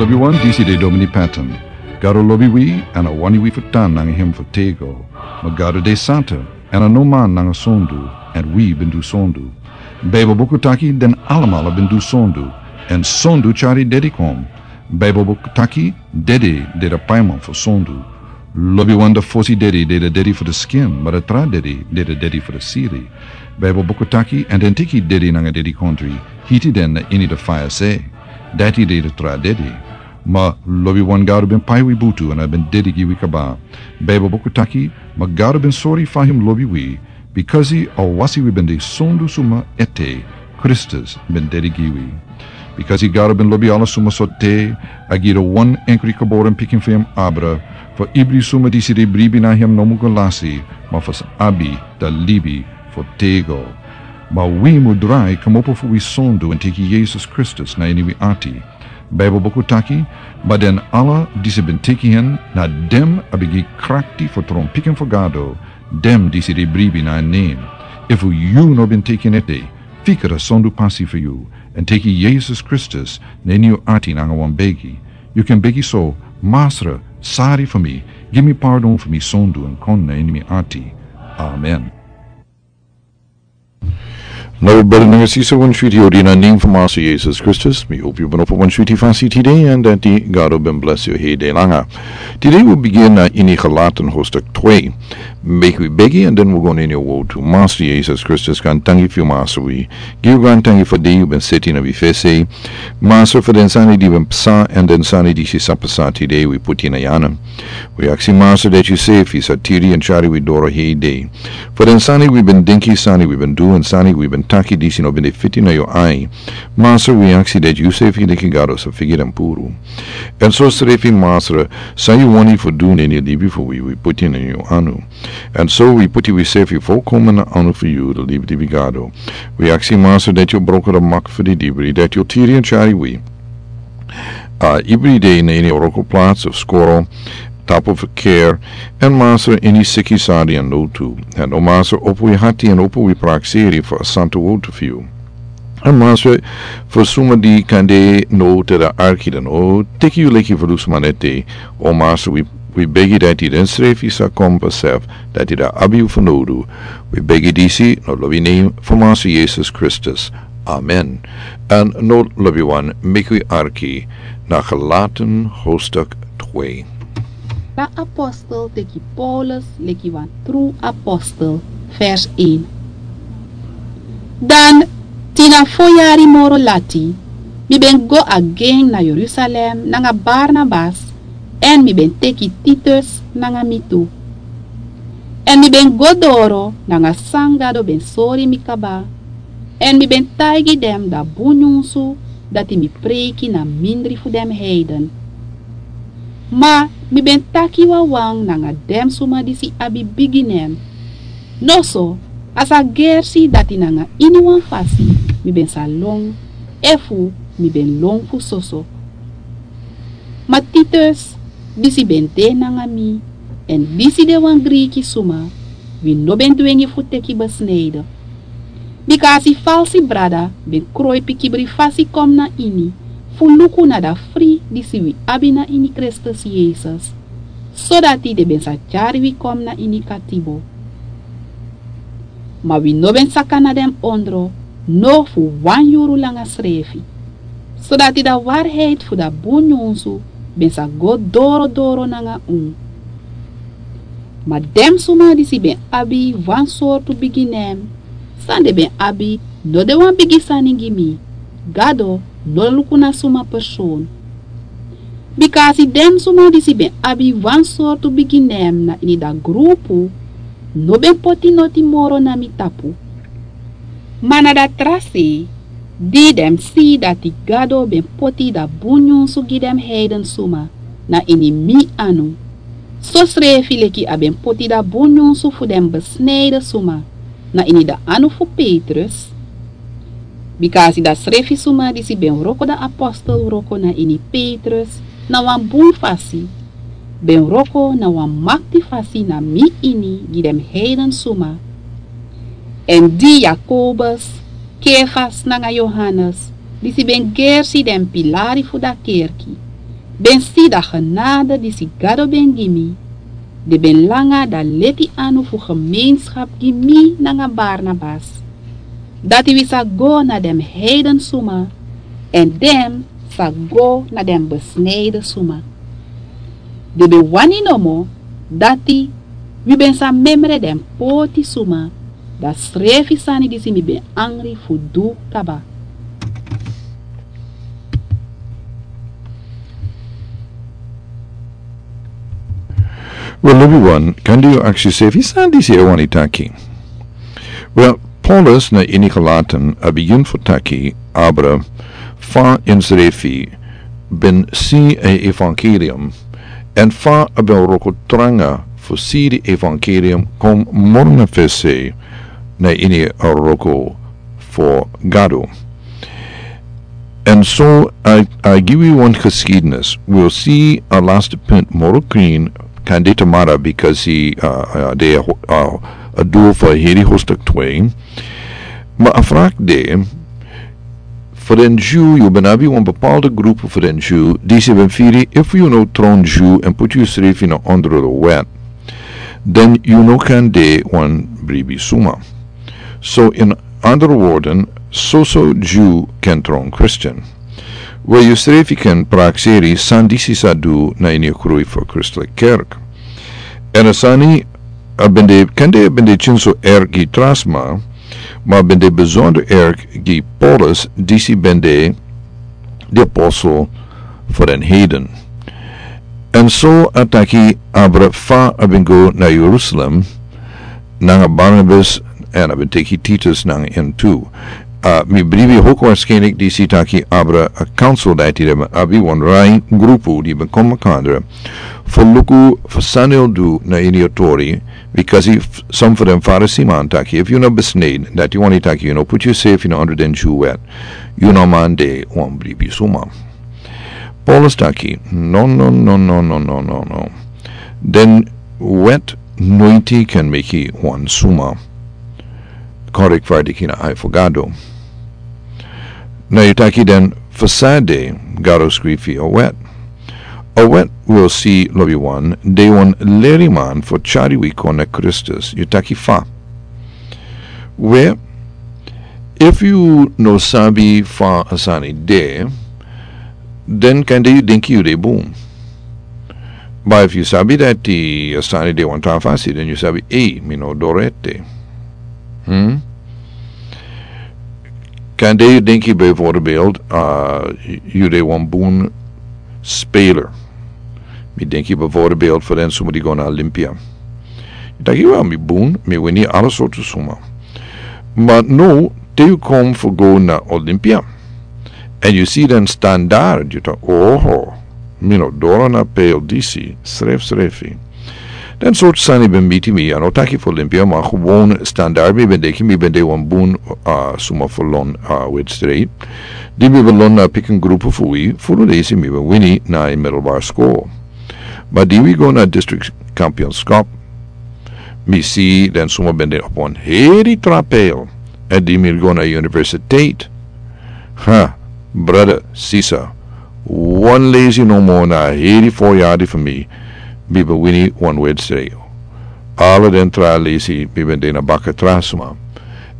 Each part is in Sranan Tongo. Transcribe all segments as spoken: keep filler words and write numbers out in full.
Lobi wan, disi de Domini Patton. Gado lobi wi, èn a wani wi fu tan nanga hem fu tego. Ma Gado de santa, èn a no man nanga sondu, èn wi ben du sondu. Bijbel buku taki den alamala ben du sondu, èn sondu tyari dedi kon. Bijbel buku taki dedi de de paiman fu sondu. Lobi wan, de fosi dedi de de dedi fu de skin, ma de tra dedi de de dedi fu de siri. Bijbel buku taki, èn den teki dedi nanga dedi kontri, hiti den na ini de faya se. Dati de de tra dedi. Ma lobi wan, Gado ben pai wi butu, èn a ben dedi gi wi kaba. Bijbel buku taki, ma Gado ben sori fa hem lobi wi, bikasi a wasi wi ben de sondu suma ete, Kristus ben dedi gi wi. Bikasi Gado ben lobi ala suma so te, a gi de wan enkri geboren pikin fu hem abra, fu ibri suma disi de bribi na hem no mu go lasi, ma fu sa abi de libi fu tego. Ma wi mu drai kmopo fu wi sondu èn teki Yesus Kristus na ini wi ati. Bijbel buku taki, ma den ala disi ben teki hen, na dem a ben gi krakti fu tron pikin fu Gado, dem disi de bribi na en nen. Efu yu no ben teki en ete, fika de sondu pasi fu yu, èn teki Yesus Kristus na ini yu ati nanga wan begi. Yu kan begi so: Masra, sari fu mi, gi mi pardon fu mi sondu èn kon na ini mi ati. Amen. Now, brother nanga sisa, wan switi odi na nen fu Masra Yesus Kristus. Mi hopi yu ben opo wan switi fasi tide, èn dati Gado ben bless yu hei de langa. Tide wi bigin na ini Galaten hoofdstuk twee. Meki wi begi, èn den wi go na ini a wortu. Masra Yesus Kristus, gaantangi fu yu, Masra, wi gi yu gaantangi fu a dei yu ben seti na wi fesi. Masra, fu den sani di ben psa, èn den sani disi sa psa tide, wi poti na yu anu. Wi aksi, Masra, dati yu sefi sa tiri èn tyari wi doro hei dei. Fu den sani wi ben denki, sani wi ben du, èn sani wi ben taki disi no ben de fiti na yu ai. Masra, wi aksi dati yu sefi leki Gado sa figi den puru. Èn so srefi, Masra, san yu wani fu du na ini a libi fu wi, wi poti na yu anu. Èn so wi poti wi sefi folkomen na anu fu yu, de libilibi Gado. Wi aksi, Masra, dati yu broko de mak fu didibri, dati yu tiri èn tyari wi. A, ibri dei na ini a wroko plats of skoro, tapu fu keri, èn Masra, ini siki sani èn notu. Èn o Masra, opo wi ati èn opo wi prakseri fu a santu wortu fu yu. Èn Masra, fu suma di kande no te den arki den no teki yu leki fu dus maneti. O Masra, wi, wi begi dati den srefi sa kon besef dati den abi yu fanowdu. Wi begi disi na a lobi nen fu Masra Yesus Kristus. Amen. Èn now, lobi wan, meki wi arki na Galaten hoofdstuk twee. Dan apostel teki Paulus leki wan tru apostel. Vers een. Dan, tin na fo yari moro lati, mi ben go again na Jerusalem nanga Barnabas, èn mi ben teki Titus nanga mi tu. Èn mi ben go doro nanga san Gado ben sori mi kaba, èn mi ben taigi den a bun nyunsu dati mi preiki na mindri fu den heiden. Ma mi ben taki wawan nanga den suma disi abi bigi nen. Noso, a sa gersi dati nanga iniwan fasi mi ben sa lon, efu mi ben lon fu soso. Ma Titus, disi ben de nanga mi, èn disi de wan Griki suma, wi no ben dwengi fu teki besnijden. Bika a si falsi brada ben kroipi kibri fasi kon na ini, fu luku na a fri disi wi abi na ini Kristus Yesus, sodati den ben sa tyari wi kon na ini katibo. Ma wi no ben saka na den ondro, no fu wan yuru langa srefi, sodati a waarheid fu a bun nyunsu ben sa go doro doro nanga unu. Ma den suma disi ben abi wan sortu bigi nen, san den ben abi no de wan bigi sani gi mi. Gado no luku na suma person. Bika a si den suma disi ben abi wan sortu bigi nen na ini a grupu, no ben poti noti moro na mi tapu. Ma na a tra sei, di den si dati Gado ben poti a bun nyunsu gi den heiden suma na ini mi anu, sosrefi leki a ben poti a bun nyunsu fu den besnijden suma na ini a anu fu Petrus. Bika a si a srefi suma disi ben wroko a apostel wroko na ini Petrus na wan bun fasi, ben wroko na wan makti fasi na mi ini gi den heiden suma. Èn di Jakobus, Kefas nanga Johannes, disi ben gersi den pilari fu a kerki, Ben si dan genade disi Gado ben gi mi, di ben langa dan leti anu fu gemeenschap gi mi nanga Barnabas, dati wi sa go na den heiden suma, èn den sa go na den besnijden suma. Di ben wani nomo dati wi ben sa memre den poti suma, dan srefi sani disi mi ben angri fu du kaba. Wel, lobi wan, kande yu aksi yusrefi san disi e wani taki. Wel, Paulus na ini Galaten a bigin fu taki abra fa ensrefi ben si a evangelium, èn fa a ben wroko tranga fu si di evangelium kon moro na fesi na ini a wroko fu Gado. Èn so a, a gi wi wan geschiedenis. Wi o si a laatste punt moro krin, kande tamara, bikasi a, a, de a, a, a doel fu a heri hoofdstuk twee. Ma a vraag de, fu den Jew, yu ben abi wan bepaalde groep fu den Jew, disi ben firi, efu yu no tron Jew èn poti yusrefi na onder de wet, dan yu no kan de wan bribi suma. So in andere woorden, soso Jew kan tron Christian. Wel, yusrefi kan prakseri san disi sa du na ini a groei fu a christelijke kerk. Èn a sani a ben de, kande a ben de tyin so erg gi tra sma, ma a ben de bijzonder erg gi Paulus, disi ben de di apostel fu den heiden. Èn so a taki abra fa a ben go na Jerusalem nanga Barnabas, èn a ben teki Titus nanga en tu. A, mi bribi hoogwaarschijnlijk disi taki abra a council dati den ben abi wan rai grupu di ben kon makandra fu luku fu san el du na ini a tori, bikasi f-, some fu den Farisi man taki, efu yu no besneden, dati wani taki yu no poti yusrefi na onder den Jew wet, yu no man de wan bribi suma. Paulus taki, no, no, no. Den wet noiti kan meki wan suma kon rechtvaardig ini a ai fu Gado. Na yu taki den fu san de Gado skrifi a wet. A wet, wi o si, lobi wan, de wan leriman fu tyari wi kon na Kristus. Yu taki fa? We, efu yu no sabi fa a sani de, den kande yu denki yu de bun. Ma efu yu sabi dati a sani de wan tra fasi, den yu sabi, ei, mi no doro ete. Hmm? Kande yu denki bijvoorbeeld, a, yu de wan bun speler. Mi denki bijvoorbeeld fu den suma di go na Olympia. Yu taki, wel, mi bun, mi wini ala sortu suma. Ma now, te yu kon fu go na Olympia, èn yu si den standaard, yu taki, oho, mi no doro na peil disi, srefsrefi. Den sortu sani ben miti mi, a no taki fu Olympia, ma gewoon standaard, mi ben denki, mi ben de wan bun, a, suma fu lon, a, wedstrijd. Di mi ben lon na pikin grupu fu wi, furu leisi mi ben wini na a middelbare school. Ma di wi go na district kampioenschap, mi si den suma ben de op wan heri tra peil. Èn di mi go na universiteit. Ha, brother, sister, wan leisi no more na a heri voorjaar di fu mi, mi ben wini wan wedstrijd. Ala den tra leisi, mi ben de na baka tra suma.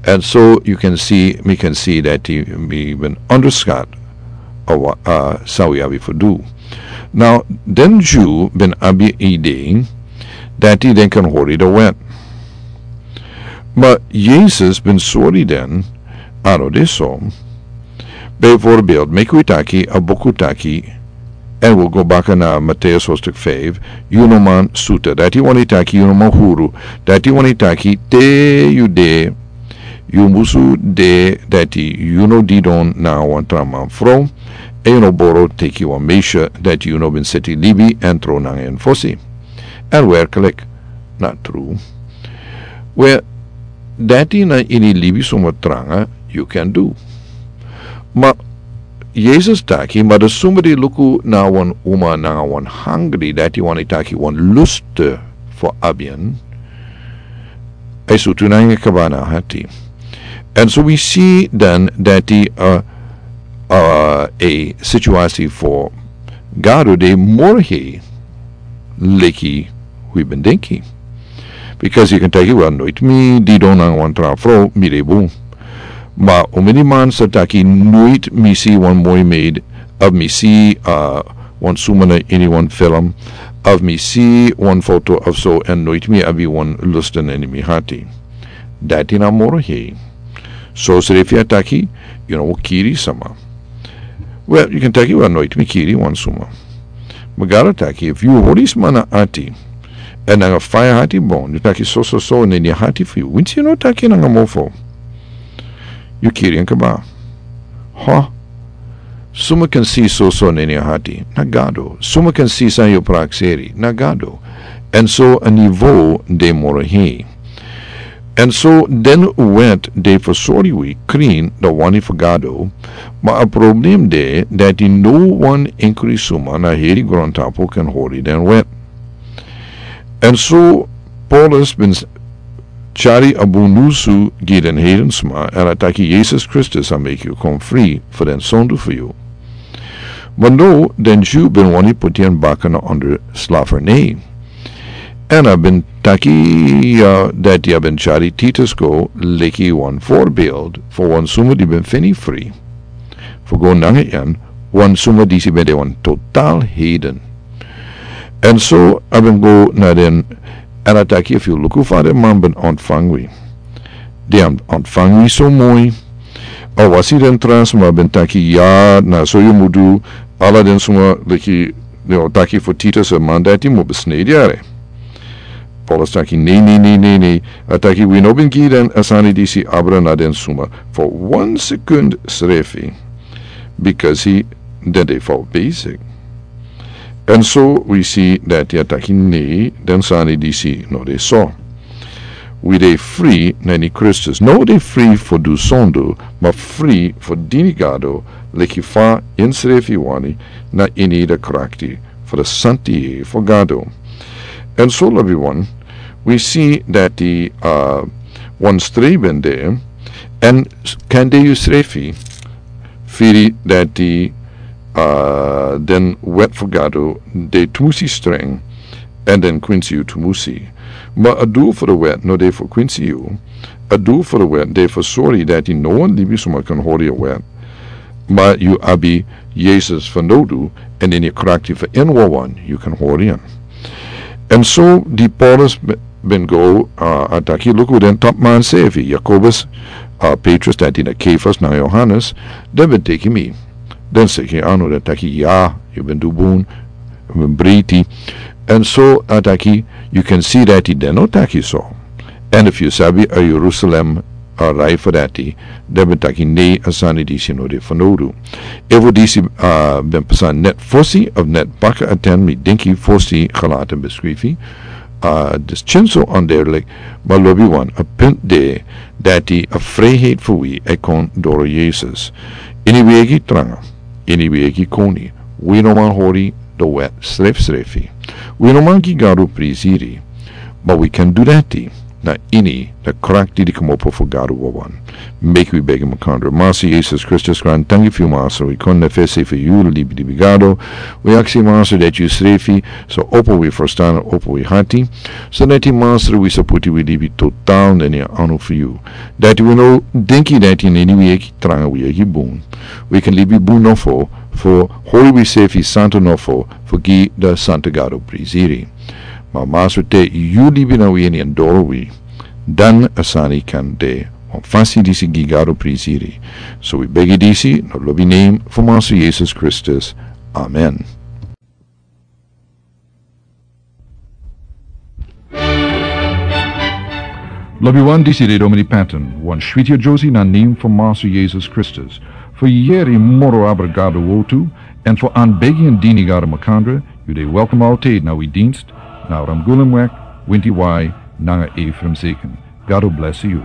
And so you can see, mi kan si dati mi ben onderschat a wa-, a san wi abi fu du. Now, den Jew ben abi idee dati den kan hori de wet. Ma Jesus ben sori den, a no de so. Bijvoorbeeld, meki wi taki, a buku taki, èn wi go baka na Matthäus hoofdstuk vijf, yu no man suta. Dati wani taki, yu no man huru. Dati wani taki, te yu de, yu musu de dati yu no didon na wan tra man frow, èn yu no boro teki wan meisje dati yu no ben seti libi èn tron nanga en fosi. Èn werkelijk, na tru. We, dati na ini libi suma tranga, yu kan du. Ma, Jesus taki, ma den suma di luku na wan uma nanga wan hangri, dati wani taki wan lust fu abi en, a e sutu nanga en kaba na a hati. And so we see then dati, uh, uh, a situation fu Gado de moro hei leki wi ben denki. Bikasi yu kan taki, wel, noiti mi didon nanga wan tra fro, mi de bun. Ma omeni man sa taki, noiti mi si wan moi meid, of mi si, uh, wan suma na ini wan film, of mi si wan foto of so, en noiti mi abi wan lusten ini mi hati. Dati na moro hei. So srefi a taki, yu no kiri sama. Wel, yu kan taki, wel, noiti mi kiri wan suma. Ma Gado taki, efu yu hori sma na ati, en nanga faya hati bon, yu taki so, so, so, nanga yu hati fu yu. Winsi yu no taki nanga mofo, yu kiri en kaba. Ho? Suma kan si so, so, nanga yu hati? Na Gado. Suma kan si san yu prakseri? Na Gado. En so a nivo de moro hei. En so den wet de fu sori wi krin dan wani fu Gado, ma a problem de dati no wan enkri suma na heri grontapu kan hori den wet. En so Paulus ben s-, tyari a bun nyunsu gi den heiden sma, en a taki Yesus Kristus a meki yu kon fri fu den sondu fu yu. Ma no, den Dyu ben wani puti en baka na onder slavernij. En a ben taki, uh, dati a ben tyari Titus go leki wan voorbeeld fu wan suma di ben feni fri fu go nanga en, wan suma disi ben de wan total heiden. En so a ben go na den, en a taki, efu yu luku fa den man ben ontfang wi. Den ontfang wi so moi. A wasi den tra sma ben taki, ya, na so yu mu du, ala den suma leki, den o taki fu Titus, a man dati mu besnei yere. Paulus taki, nei, nei, nei, nei, nei. A taki, wi no ben gi den a sani disi abra na den suma fu wan sekund srefi. Bikasi den de fout bezig. En so wi si dati a taki nei, den sani disi no de so. Wi de fri na ini Kristus. No de fri fu du sondu, ma fri fu dini Gado, leki fa ensrefi wani, na ini de krakti fu de santi fu Gado. En so, lobiwan, wi si dati, uh, wan strei ben de, en s-, kande yusrefi firi dati, uh, den wet fu Gado de tumusi streng, en den kwinsi yu tumusi. Ma a doel fu de wet no de fu kwinsi yu. A doel fu de wet de fu sori dati no wan libisma kan hori a wet. Ma yu abi Yesus fanowdu, en ini a krakti fu en wawan yu kan hori en. En so di Paulus be-, ben go, uh, a taki, luku, den tapman srefi, Jakobus, uh, Petrus, dati na Kefas, nanga Yohanes, den ben teki mi. Den seki anu, den taki, ya, yu ben du bun, yu ben briti. En so a taki, yu kan si dati den no taki so. En efu yu sabi a Jerusalem, a rai fu dati, den ben taki nei, a sani disi no de fanowdu. Efu disi, uh, ben pasa net fosi of net baka a ten, mi denki fosi Galaten ben skrifi, uh, dus tyari so onduidelijk, ma lobiwan, a punt de dati a vrijheid fu wi e kon doro Yesus. Ini wi eigi tranga, ini wi eigi koni, wi no man hori de wet srefsrefi. Wi no man gi Gado prisiri, ma wi kan du dati na ini de krakti di komopo fu Gado wawan. Meki wi begi makandra. Master Yesus Kristus, grantangi fu yu, Master, wi kon na fesi fu yu, libi, libi Gado. Wi aksi, Master, dati yusrefi sa opo wi ferstan, opo wi hati. So dati, Master, wi sa poti wi libi total na ini a anu fu yu. Dati wi no denki dati na ini wi eigi tranga, wi eigi bun, wi kan libi bun nofo, fu hori wisrefi santu nofo, fu gi de Santu Gado prisiri. Ma Master, te yu libi na wi, en yu doro wi, dan a sani kan de wan fasi disi gi Gado prisiri. So wi begi disi na lobi nen fu Master Yesus Kristus. Amen. Lobiwan, disi de Domini Patton, wan switi yere na nen fu Master Yesus Kristus. Fu yere moro abra Gado wortu, en fu anbegi en dini Gado makandra, yu de welkom altijd na wi dienst, na Ramgulemweg, winti wai, nanga Ephraim Zeken. Gado blesi yu.